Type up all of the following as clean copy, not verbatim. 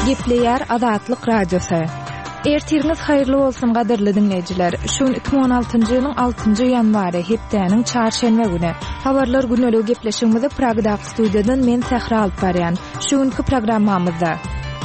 Gepleýär Azatlyk Radiosy. Ertiriňiz haýyrly bolsun gadyrly diňleýjiler. Şu gün 2016-njy ýylyň 6-njy ýanwary, hepdäniň çarşenbe güni. Habarlar gündeligi gepleşigimizi Pragdaky studiýadan men Sähra alyp barýan. Şu günki programmamyzda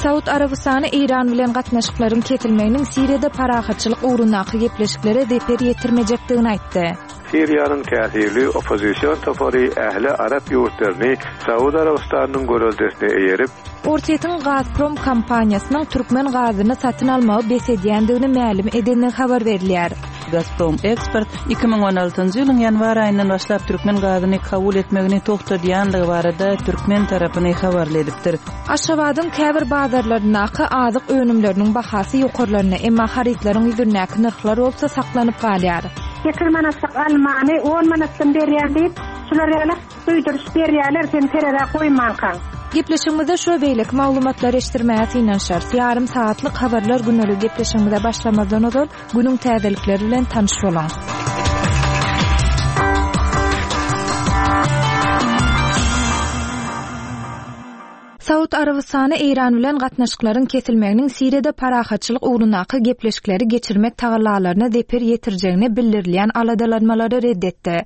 Saud Arabystany Eýran bilen gatnaşyklaryň kesilmeginiň Siriýada parahatçylyk ugrundaky gepleşiklere zeper ýetirmejekdigini aýtdy. Siriýanyň täsirli oppozision topary ähli arap ýurtlaryny Saud Arabystanynyň göreldesine eýerip, Orsýetiň Gazprom kompaniýasynyň türkmen gazyny satyn almagy bes edýändigini mälim edendigi habar berilýär. Gazprom Eksport 2016-njy ýylyň ýanwar aýyndan başlap türkmen gazyny kabul etmegini togtadýandygy barada türkmen tarapyny habarly edipdir. Aşgabadyň käbir bazarlaryndaky azyk önümleriniň bahasy ýokarlandy, emma harytlaryň ýüzündäki nyrhlar bolsa saklanyp galýar. Sekiz manatlyk almany on manatdan berýän diýip, şular ýaly duýduryş berýärler sen terezä goýmankaň. Gepleşigimizde şu we beýleki maglumatlary eşitdirmäge synanyşarys. Ýarym sagatlyk Habarlar gündeligi gepleşigimize başlamazdan ozal, günüň täzelikleri bilen tanyş boluň. Saud Arabystany Eýran bilen gatnaşyklaryň kesilmeginiň Siriýada parahatçylyk ugrundaky gepleşikleri geçirmek tagallalaryna zeper ýetirjegine bildirilýän aladalanmalary red etdi.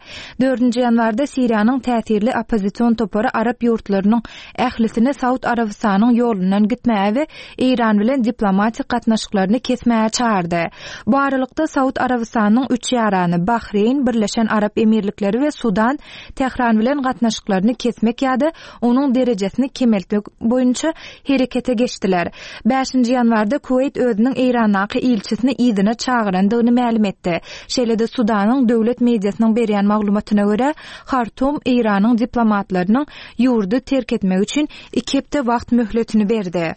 Dördünji ýanwarda Siriýanyň täsirli oppozision topary arap ýurtlarynyň ählisini Saud Arabystanyň ýolundan gitmäge we Eýran bilen diplomatik gatnaşyklaryny kesmäge çagyrdy. Bu aralykda Saud Arabystanynyň üç ýarany, Bahreýn, Birleşen Arap Emirlikleri we Sudan Tähran bilen gatnaşyklaryny kesmek ýa-da onuň derejesini kemeltmek boýunça herekete geçdiler. Bäşinji ýanwarda Kuweýt özüniň Eýrandaky ilçisini yzyna çagyrandygyny mälim etdi. Şeýle-de Sudanyň döwlet mediasynyň berýän maglumatyna görä, Hartum Eýranyň diplomatlarynyň ýurdy terk etmegi üçin iki hepde wagt möhletini berdi.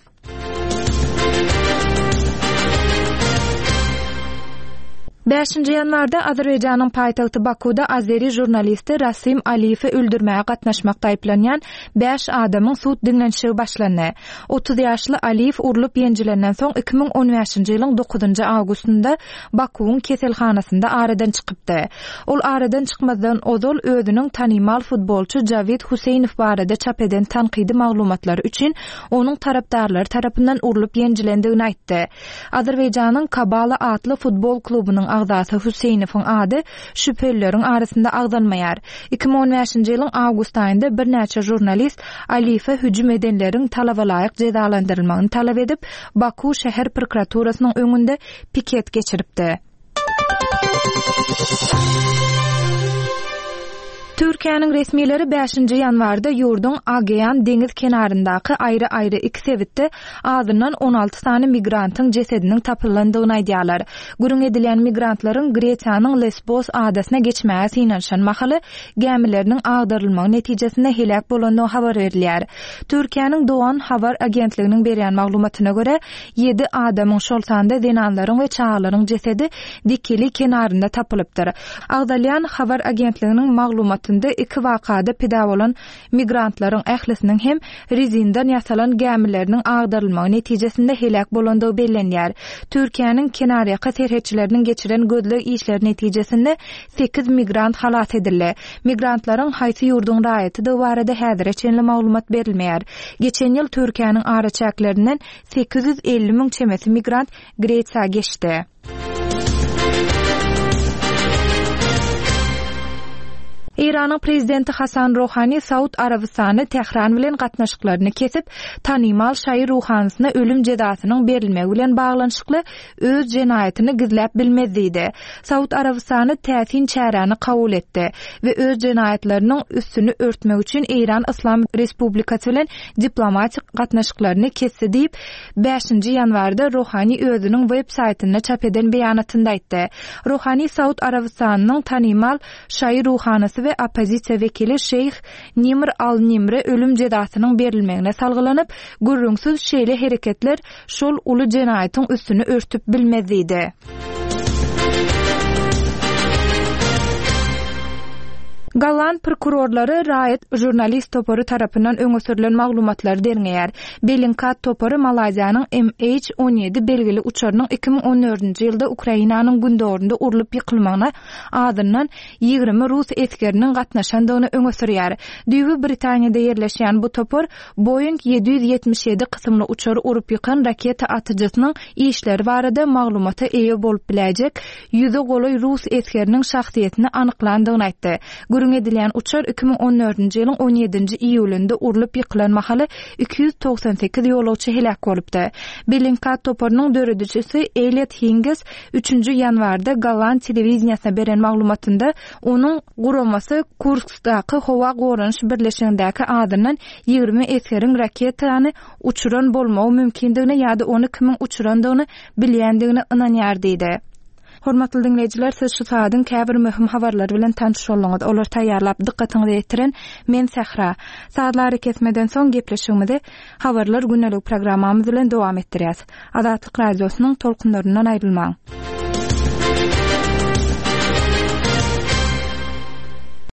Bäşinji ýanwarda Azerbaýjanyň paýtagty Bakuda azeri žurnalisti Rasim Aliýewi öldürmäge gatnaşmakda aýyplanýan bäş adamyň sud diňlenişigi başlandy. 30 ýaşly Aliýew urlup ýenjilenden soň 2015-nji ýylyň dokuzynjy awgustynda Bakuwyň keselhanasynda aradan çykypdy. Ol aradan çykmazdan ozal özüniň tanymal futbolçy Jawid Huseýnow barada çap eden tankydy maglumatlary üçin onuň tarapdarlary tarapyndan urlup ýenjilendigini aýtdy. Azerbaýjanyň Kabala atly futbol klubunyň agzasy Huseýnowyň ady şübhelileriň arasynda agzalmaýar. 2015-nji ýylyň awgust aýynda birnäçe žurnalist Aliýewe hüjüm edenleriň talabalaýyk jezalandyrylmagyny talap edip, Baku şäher prokuraturasynyň öňünde piket geçiripdi. Türkiýäniň resmileri bäşinji ýanwarda ýurduň Agean deňiz kenaryndaky aýry-aýry iki sebitde azyndan 16 sany migrantyň jesediniň tapylandygyny aýdýarlar. Gürrüň edilýän migrantlaryň Gresiýanyň Lesbos adasyna geçmäge synanyşan mahaly gämileriniň agdarylmagy netijesinde heläk bolandygy habar berilýär. Türkiýäniň Dogan habar agentliginiň berýän maglumatyna görä, Ýedi adamyň, şol sanda zenanlaryň we çagalaryň jesedi Dikili kenarynda tapylypdyr. Agzalýan habar agentliginiň maglumatynda iki wakada pida bolan migrantlaryň ählisiniň hem rezindan ýasalan gämileriniň agdarylmagy netijesinde heläk bolandygy bellenýär. Türkiýäniň kenarýaka serhetçileriniň geçiren gözleg işleri netijesinde sekiz migrant halas edildi. Migrantlaryň haýsy ýurduň raýatydygy barada häzire çenli maglumat berilmeýär. Geçen ýyl Türkiýäniň araçäklerinden 850 müň çemesi migrant Gresiýa geçdi. Eýranyň prezidenti Hasan Rohani Saud Arabystany Tähran bilen gatnaşyklaryny kesip, tanymal şaýy ruhanysyna ölüm jezasynyň berilmegi bilen baglanyşykly öz jenaýatyny gizläp bilmez diýdi. Saud Arabystany täsin çäräni kabul etdi we öz jenaýatlarynyň üstüni örtmek üçin Eýran Yslam Respublikasy bilen diplomatik gatnaşyklaryny kesdi diýip, bäşinji ýanwarda Rohani özüniň web saýtynda çap eden beýanatynda aýtdy. Rohani Saud Arabystanynyň tanymal şaýy ruhanysy we oppozisiýa wekili şeýh Nimr al-Nimre ölüm jezasynyň berilmegine salgylanyp, gürrüňsiz şeýle hereketler şol uly jenaýatyň üstüni örtüp bilmez diýdi. Golland prokurorlary raýat žurnalist topary tarapyndan öňe sürlen maglumatlary derňeýär. Bellingcat topary Malaýziýanyň MH 17 belgili uçarynyň 2014-nji ýylda Ukrainanyň gündogarynda urlup ýykylmagyna azyndan 20 rus esgeriniň gatnaşandygyny öňe sürýär. Düýbi Britaniýada ýerleşýän bu topar Boeing 777 kysymly uçary urup ýykan raketa atyjysynyň işleri barada maglumata eýe bolup biläýjek ýüze golaý rus esgeriniň şahsyýetini anyklandygyny aýtdy. Gürrüň edilýän uçar 2014-nji ýylyň on ýedinji iýulynda urlup ýykylan mahaly 298 ýolagçy heläk bolupdy. Bellingcat toparynyň döredijisi Eliot Hinges üçünji ýanwarda golland telewideniýesine beren maglumatynda onuň guramasy Kurskdaky howa goranyş birleşigindäki azyndan 20 esgeriň raketany uçuran bolmagy mümkindigine ýa-da ony kimiň uçurandygyny bilýändigine ynanýar diýdi. Hormatly diňleýjiler, siz şu sagadyň käbir möhüm habarlary bilen tanyş bolduňyz. Olary taýýarlap, dykgatyňyza ýetiren men Sähra. Sazly arakesmeden soň gepleşigimizi Habarlar gündelik programmamyz bilen dowam etdirýäs. Azatlyk Radiosynyň tolkunlaryndan aýrylmaň.